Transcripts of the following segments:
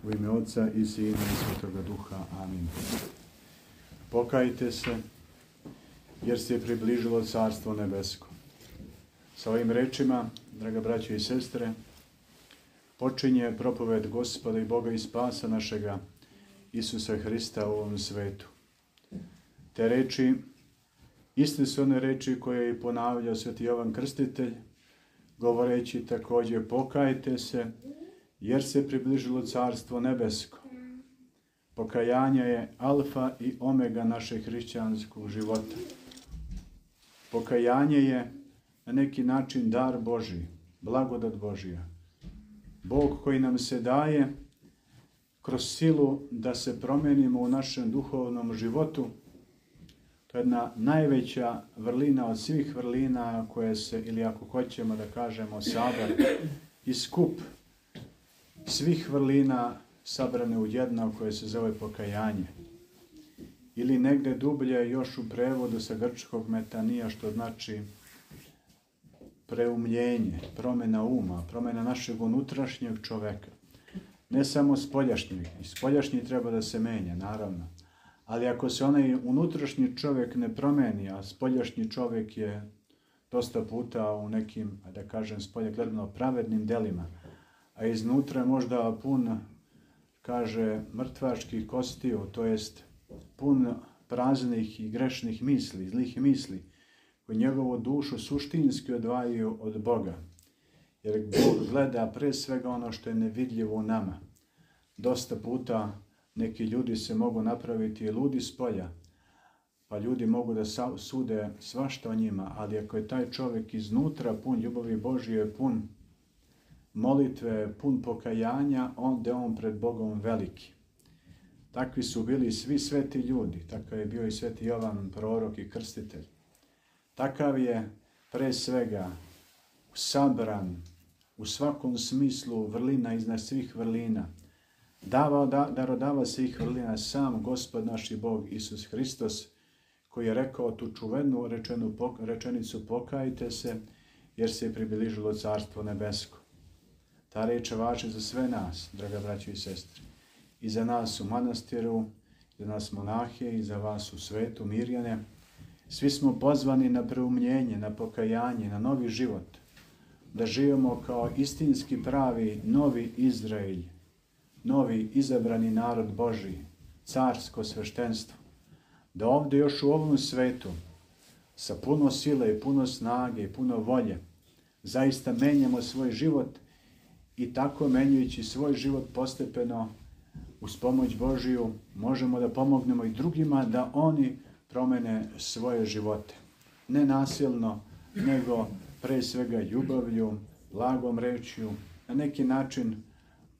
U ime Otca i Sina i Svetoga Duha. Amin. Pokajte se, jer se je približilo Carstvo nebesko. Sa ovim rečima, draga braćo i sestre, počinje propoved Gospoda i Boga i Spasa našega, Isusa Hrista u ovom svetu. Te reči, iste su one reči koje je ponavljao Sveti Jovan Krstitelj, govoreći također: pokajte se, jer se približilo Carstvo nebesko. Pokajanje je alfa i omega našeg hrišćanskog života. Pokajanje je na neki način dar Božji, blagodat Božja. Bog koji nam se daje kroz silu da se promenimo u našem duhovnom životu. To je jedna najveća vrlina od svih vrlina koje se, ili ako hoćemo da kažemo sabor i skup svih vrlina sabrane u jedno koje se zove pokajanje. Ili negde dublje još u prevodu sa grčkog metanija, što znači preumljenje, promjena uma, promjena našeg unutrašnjeg čoveka. Ne samo spoljašnjeg. I spoljašnji treba da se menja, naravno. Ali ako se onaj unutrašnji čovjek ne promeni, a spoljašnji čovjek je dosta puta u nekim, da kažem, spolje gledano pravednim delima, a iznutra možda pun, kaže, mrtvačkih kostiju, to jest pun praznih i grešnih misli, zlih misli, koji njegovu dušu suštinski odvajaju od Boga. Jer Bog gleda pre svega ono što je nevidljivo u nama. Dosta puta neki ljudi se mogu napraviti ludi s polja, pa ljudi mogu da sude svašta o njima, ali ako je taj čovjek iznutra pun ljubavi Božje, pun molitve, pun pokajanja, onda je on pred Bogom veliki. Takvi su bili svi sveti ljudi, takav je bio i Sveti Jovan, prorok i krstitelj. Takav je pre svega sabran u svakom smislu vrlina iznad svih vrlina. Darodava svih vrlina sam Gospod naš i Bog Isus Hristos, koji je rekao tu čuvenu rečenicu: pokajte se, jer se je približilo Carstvo nebesko. Ta reč važi za sve nas, draga braćo i sestre. I za nas u manastiru, i za nas monahe, i za vas u svetu, Mirjane. Svi smo pozvani na preumljenje, na pokajanje, na novi život. Da živimo kao istinski pravi novi Izrael, novi izabrani narod Božji, carsko sveštenstvo. Da ovdje još u ovom svetu, sa puno sile, puno snage i puno volje, zaista menjamo svoj život i tako menjajući svoj život postepeno, uz pomoć Božiju, možemo da pomognemo i drugima da oni promene svoje živote. Ne nasilno, nego pre svega ljubavlju, blagom rečju, na neki način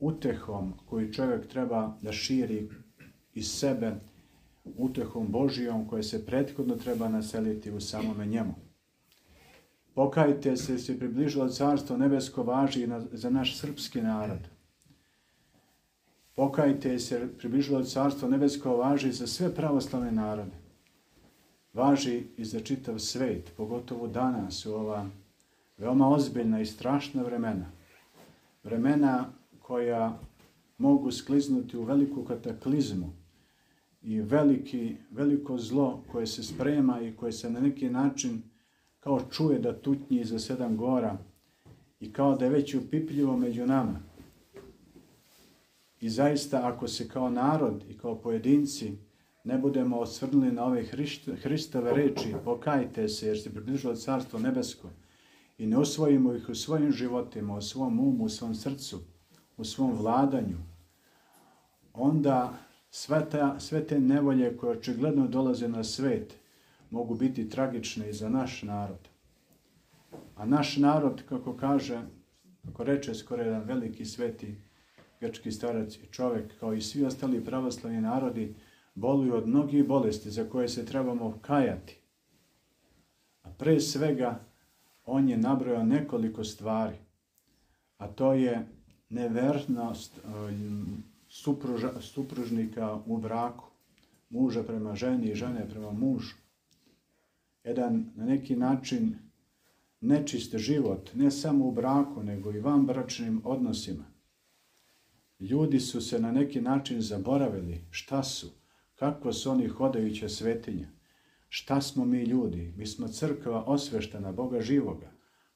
utehom koju čovjek treba da širi iz sebe, utehom Božijom koje se prethodno treba naseliti u samome njemu. Pokajte se, jer se približilo Carstvo nebesko, važi i za naš srpski narod. Pokajte se, jer približilo Carstvo nebesko, važi za sve pravoslavne narode. Važi i za čitav svet, pogotovo danas u ova veoma ozbiljna i strašna vremena. Vremena koja mogu skliznuti u veliku kataklizmu i veliko zlo koje se sprema i koje se na neki način kao čuje da tutnji iza 7 gora i kao da je već upipljivo među nama. I zaista, ako se kao narod i kao pojedinci ne budemo osvrnuli na ove Hristove reči, pokajte se, jer se približilo Carstvo nebesko, i ne usvojimo ih u svojim životima, u svom umu, u svom srcu, u svom vladanju, onda sve te nevolje koje očigledno dolaze na svet mogu biti tragične i za naš narod. A naš narod, kako reče skoro jedan veliki sveti grčki starac i čovjek, kao i svi ostali pravoslavni narodi, boluju od mnogih bolesti za koje se trebamo kajati. A pre svega, on je nabrojao nekoliko stvari, a to je nevernost supružnika u braku, muža prema ženi i žene prema mužu. Jedan na neki način nečist život, ne samo u braku, nego i vanbračnim odnosima. Ljudi su se na neki način zaboravili šta su, kako su oni hodajuće svetinja. Šta smo mi ljudi? Mi smo crkva osveštena Boga živoga,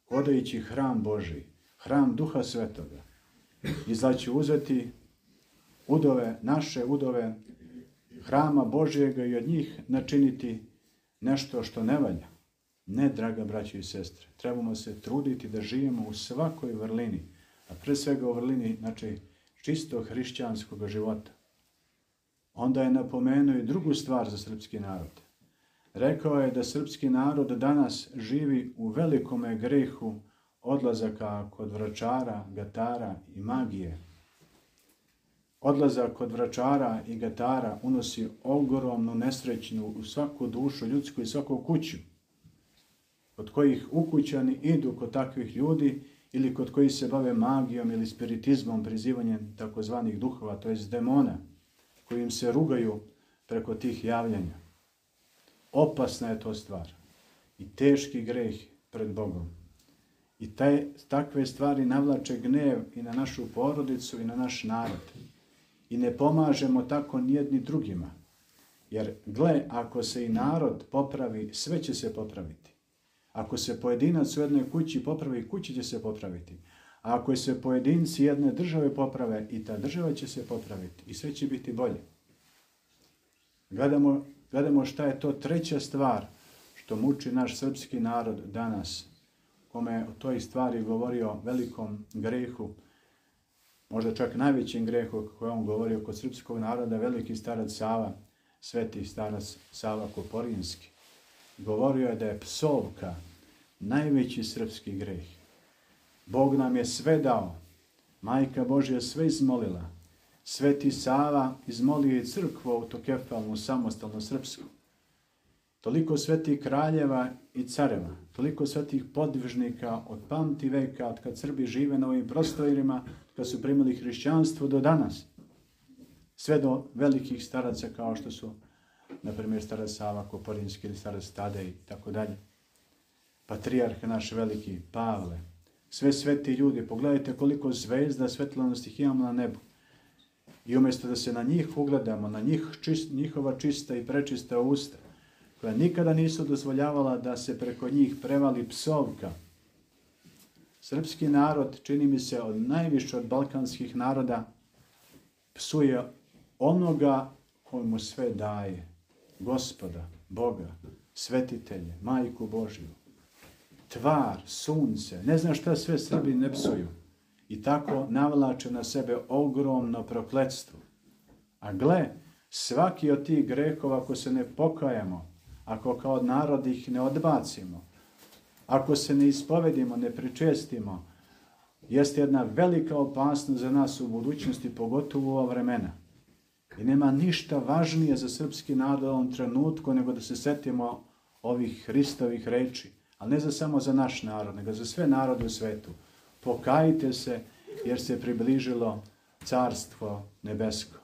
hodajući hram Božiji, hram Duha Svetoga. I znači uzeti udove, naše udove hrama Božijega i od njih načiniti nešto što ne valja. Ne, draga braćo i sestre, trebamo se truditi da živimo u svakoj vrlini, a pre svega u vrlini, znači, čisto hrišćanskog života. Onda je napomenuo i drugu stvar za srpski narod. Rekao je da srpski narod danas živi u velikome grehu odlazaka kod vračara, gatara i magije. Odlazak kod vračara i gatara unosi ogromnu nesrećnu u svaku dušu ljudsku i svaku kuću, kod kojih ukućani idu kod takvih ljudi ili kod kojih se bave magijom ili spiritizmom, prizivanjem takozvanih duhova, to jest demona, kojim se rugaju preko tih javljanja. Opasna je to stvar i teški greh pred Bogom. I takve stvari navlače gnev i na našu porodicu i na naš narod. I ne pomažemo tako nijedni drugima. Jer gle, ako se i narod popravi, sve će se popraviti. Ako se pojedinac u jednoj kući popravi, kući će se popraviti. A ako se pojedinci jedne države poprave, i ta država će se popraviti. I sve će biti bolje. Gledamo šta je to treća stvar što muči naš srpski narod danas, kome je o toj stvari govorio o velikom grehu, možda čak najvećim grehu koje on govorio kod srpskog naroda, veliki starac Sava, sveti starac Sava Koporinski. Govorio je da je psovka najveći srpski greh. Bog nam je sve dao, Majka Božja sve izmolila, sveti Sava izmolio je crkvu autokefalnu, samostalno srpsku. Toliko svetih kraljeva i careva, toliko svetih podvižnika od pamti veka, od kad Srbi žive na ovim prostorima, kad su primili hrišćanstvo do danas. Sve do velikih staraca kao što su, na primjer, starac Sava Koporinski ili starac Tadej i tako dalje. Patrijarh naš veliki, Pavle. Sve sveti ljudi, pogledajte koliko zvezda svetlonosti imamo na nebu. I umjesto da se na njih ugledamo, na njihova čista i prečista usta, koja nikada nisu dozvoljavala da se preko njih prevali psovka. Srpski narod, čini mi se, najviše od balkanskih naroda, psuje onoga koji mu sve daje. Gospoda, Boga, svetitelje, Majku Božju, tvar, sunce, ne znam šta sve Srbi ne psuju. I tako navlače na sebe ogromno prokletstvo. A gle, svaki od tih grehova, ako se ne pokajemo, ako kao narod ih ne odbacimo, ako se ne ispovedimo, ne pričestimo, jeste jedna velika opasnost za nas u budućnosti, pogotovo u ova vremena. I nema ništa važnije za srpski narod u ovom trenutku nego da se setimo ovih Hristovih reči, ali ne samo za naš narod, nego za sve narode u svetu. Pokajte se, jer se približilo carstvo nebesko.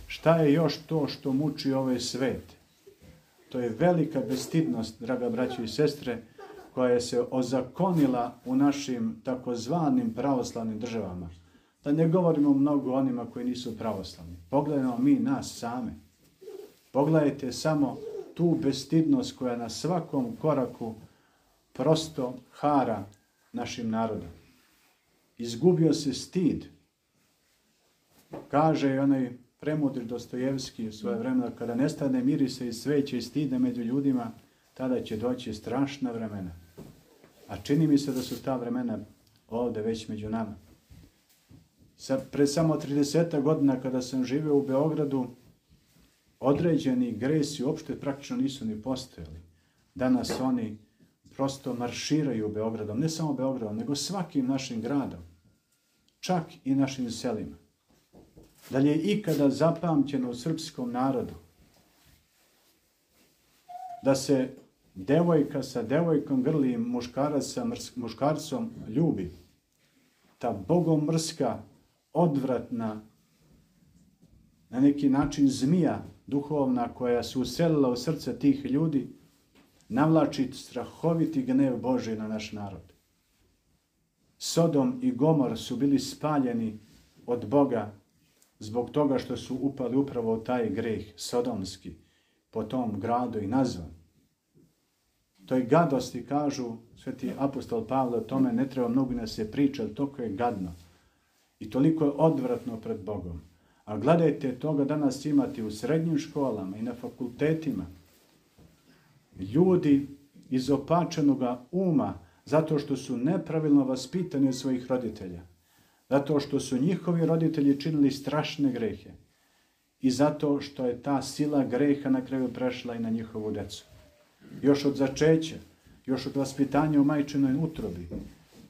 Šta je još to što muči ovaj svet? To je velika bestidnost, draga braćo i sestre, koja se ozakonila u našim takozvanim pravoslavnim državama. Da ne govorimo mnogo o onima koji nisu pravoslavni. Pogledajmo mi nas same. Pogledajte samo tu bestidnost koja na svakom koraku prosto hara našim narodom. Izgubio se stid. Kaže onaj premudri Dostojevski u svoje vremena, kada nestane mirisa i sveće i stida među ljudima, tada će doći strašna vremena. A čini mi se da su ta vremena ovdje već među nama. Pre samo 30 godina kada sam živio u Beogradu, određeni gresi uopšte praktično nisu ni postojali. Danas oni prosto marširaju Beogradom, ne samo Beogradom, nego svakim našim gradom, čak i našim selima. Da li je ikada zapamćeno u srpskom narodu da se devojka sa devojkom grli, muškarac sa muškarcom ljubi? Ta bogomrska, odvratna, na neki način zmija duhovna koja se uselila u srce tih ljudi, navlači strahoviti gnev Božji na naš narod. Sodom i Gomor su bili spaljeni od Boga zbog toga što su upali upravo u taj greh sodomski, po tom gradu i nazvan. Toj gadosti, kažu sveti apostol Pavle, o tome ne treba mnogo da se priča, ali toliko je gadno i toliko je odvratno pred Bogom. A gledajte, toga danas imati u srednjim školama i na fakultetima. Ljudi izopačenog uma, zato što su nepravilno vaspitani od svojih roditelja, zato što su njihovi roditelji činili strašne grehe i zato što je ta sila greha na kraju prešla i na njihovu decu. Još od začeća, još od vaspitanja u majčinoj utrobi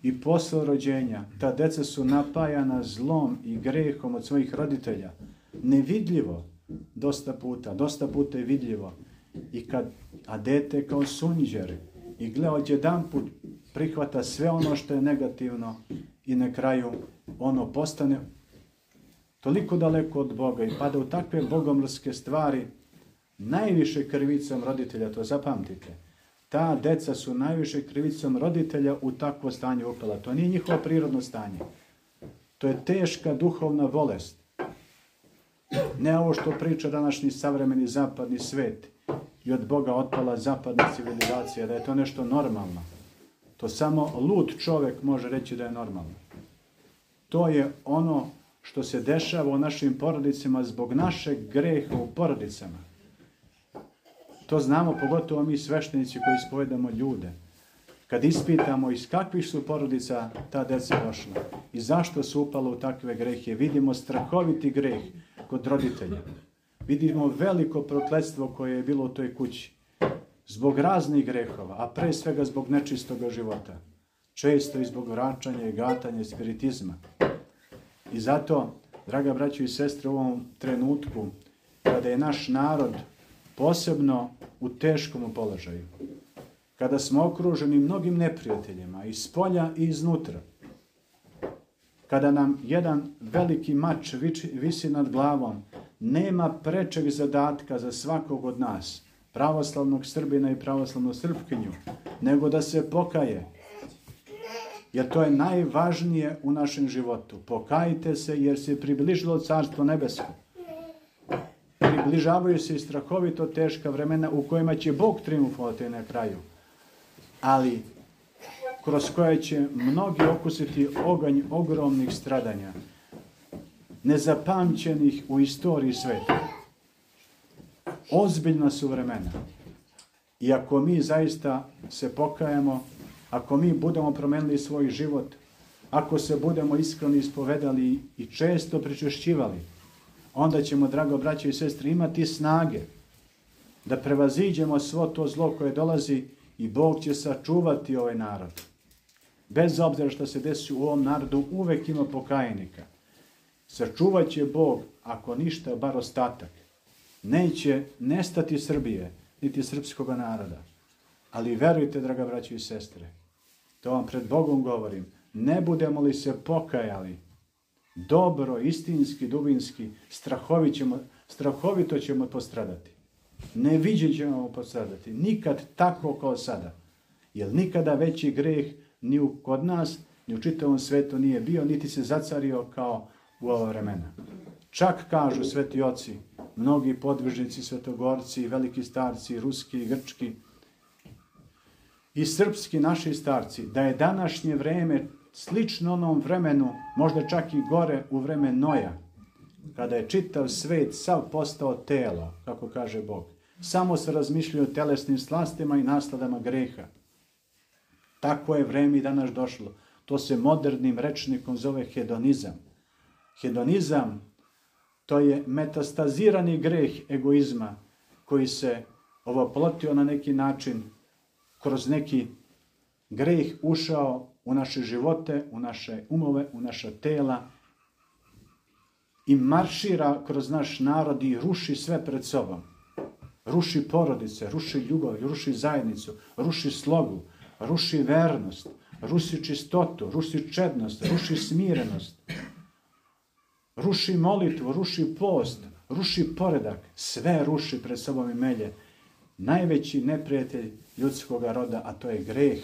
i posle rođenja, ta deca su napajana zlom i grehom od svojih roditelja. Nevidljivo, dosta puta je vidljivo. A dete kao sunđer i gleda odjedanput prihvata sve ono što je negativno i na kraju ono postane toliko daleko od Boga i pada u takve bogomrske stvari, najviše krivicom roditelja, to zapamtite. Ta deca su najviše krivicom roditelja u takvo stanje upala. To nije njihovo prirodno stanje. To je teška duhovna bolest. Ne ovo što priča današnji savremeni zapadni svet i od Boga otpala zapadna civilizacija, da je to nešto normalno. To samo lud čovjek može reći da je normalno. To je ono što se dešava u našim porodicama zbog našeg greha u porodicama. To znamo pogotovo mi sveštenici koji ispovedamo ljude. Kad ispitamo iz kakvih su porodica ta deca došla i zašto su upala u takve grehe, vidimo strahoviti greh kod roditelja. Vidimo veliko prokletstvo koje je bilo u toj kući. Zbog raznih grehova, a pre svega zbog nečistoga života. Često i zbog vraćanja i gatanja i spiritizma. I zato, draga braćo i sestre, u ovom trenutku, kada je naš narod posebno u teškom položaju, kada smo okruženi mnogim neprijateljima, iz spolja i iznutra, kada nam jedan veliki mač visi nad glavom, nema prečeg zadatka za svakog od nas, pravoslavnog Srbina i pravoslavnu Srpkinju, nego da se pokaje. Jer to je najvažnije u našem životu. Pokajte se jer se približilo Carstvo nebesko. Približavaju se i strahovito teška vremena u kojima će Bog triumfovati na kraju. Ali kroz koje će mnogi okusiti oganj ogromnih stradanja, nezapamćenih u istoriji sveta. Ozbiljna su vremena. I ako mi zaista se pokajemo, ako mi budemo promenili svoj život, ako se budemo iskreno ispovedali i često pričešćivali, onda ćemo, drago braće i sestre, imati snage da prevaziđemo svo to zlo koje dolazi i Bog će sačuvati ovaj narod. Bez obzira što se desi u ovom narodu, uvek ima pokajnika. Sačuvat će Bog, ako ništa, bar ostatak. Neće nestati Srbije, niti srpskog naroda. Ali verujte, draga braće i sestre, to vam pred Bogom govorim, ne budemo li se pokajali, dobro, istinski, dubinski, strahovito ćemo postradati. Neviđen ćemo postradati. Nikad tako kao sada. Jer nikada veći greh ni kod nas, ni u čitavom svetu nije bio, niti se zacario kao u ova vremena. Čak kažu sveti oci, mnogi podvižnici, svetogorci, veliki starci, ruski i grčki, i srpski naši starci, da je današnje vreme slično onom vremenu, možda čak i gore u vreme Noja, kada je čitav svet sav postao telo, kako kaže Bog. Samo se razmišljaju o telesnim slastima i nasladama greha. Tako je vreme i danas došlo. To se modernim rečnikom zove hedonizam. Hedonizam, to je metastazirani greh egoizma koji se ovoplotio na neki način, kroz neki greh ušao u naše živote, u naše umove, u naša tela i maršira kroz naš narod i ruši sve pred sobom. Ruši porodice, ruši ljubav, ruši zajednicu, ruši slogu, ruši vernost, ruši čistotu, ruši čednost, ruši smirenost, ruši molitvu, ruši post, ruši poredak, sve ruši pred sobom i melje. Najveći neprijatelj ljudskog roda, a to je greh.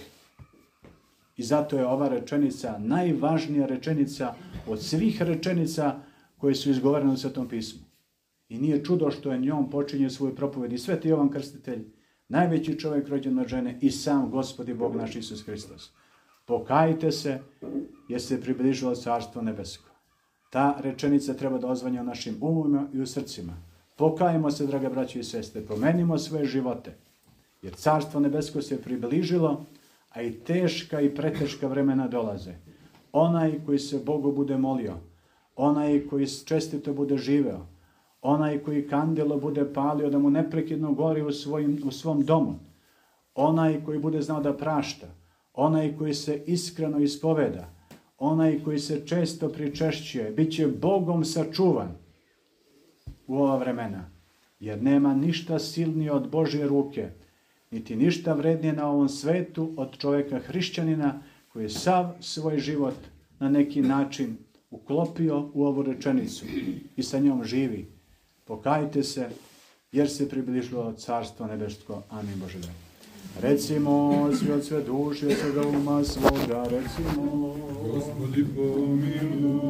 I zato je ova rečenica najvažnija rečenica od svih rečenica koje su izgovorene u Svetom pismu. I nije čudo što je njom počinje svoju propoved i Sveti Jovan Krstitelj, najveći čovjek rođen od žene i sam Gospod i Bog naš Isus Hristos. Pokajte se jer se približilo Carstvo nebesko. Ta rečenica treba da ozvanja u našim umima i u srcima. Pokajmo se, draga braće i sestre, promenimo svoje živote, jer Carstvo nebesko se približilo, a i teška i preteška vremena dolaze. Onaj koji se Bogu bude molio, onaj koji čestito bude živeo, onaj koji kandilo bude palio da mu neprekidno gori u svom domu, onaj koji bude znao da prašta, onaj koji se iskreno ispoveda, onaj koji se često pričešćuje, bit će Bogom sačuvan u ova vremena, jer nema ništa silnije od Božje ruke, niti ništa vrednije na ovom svetu od čovjeka hrišćanina koji je sav svoj život na neki način uklopio u ovu rečenicu i sa njom živi. Pokajte se, jer se približilo Carstvo nebesko. Amin Bože dragi. Recimo svi od sve duše, od svega uma svoga, recimo. Gospodi pomiluj.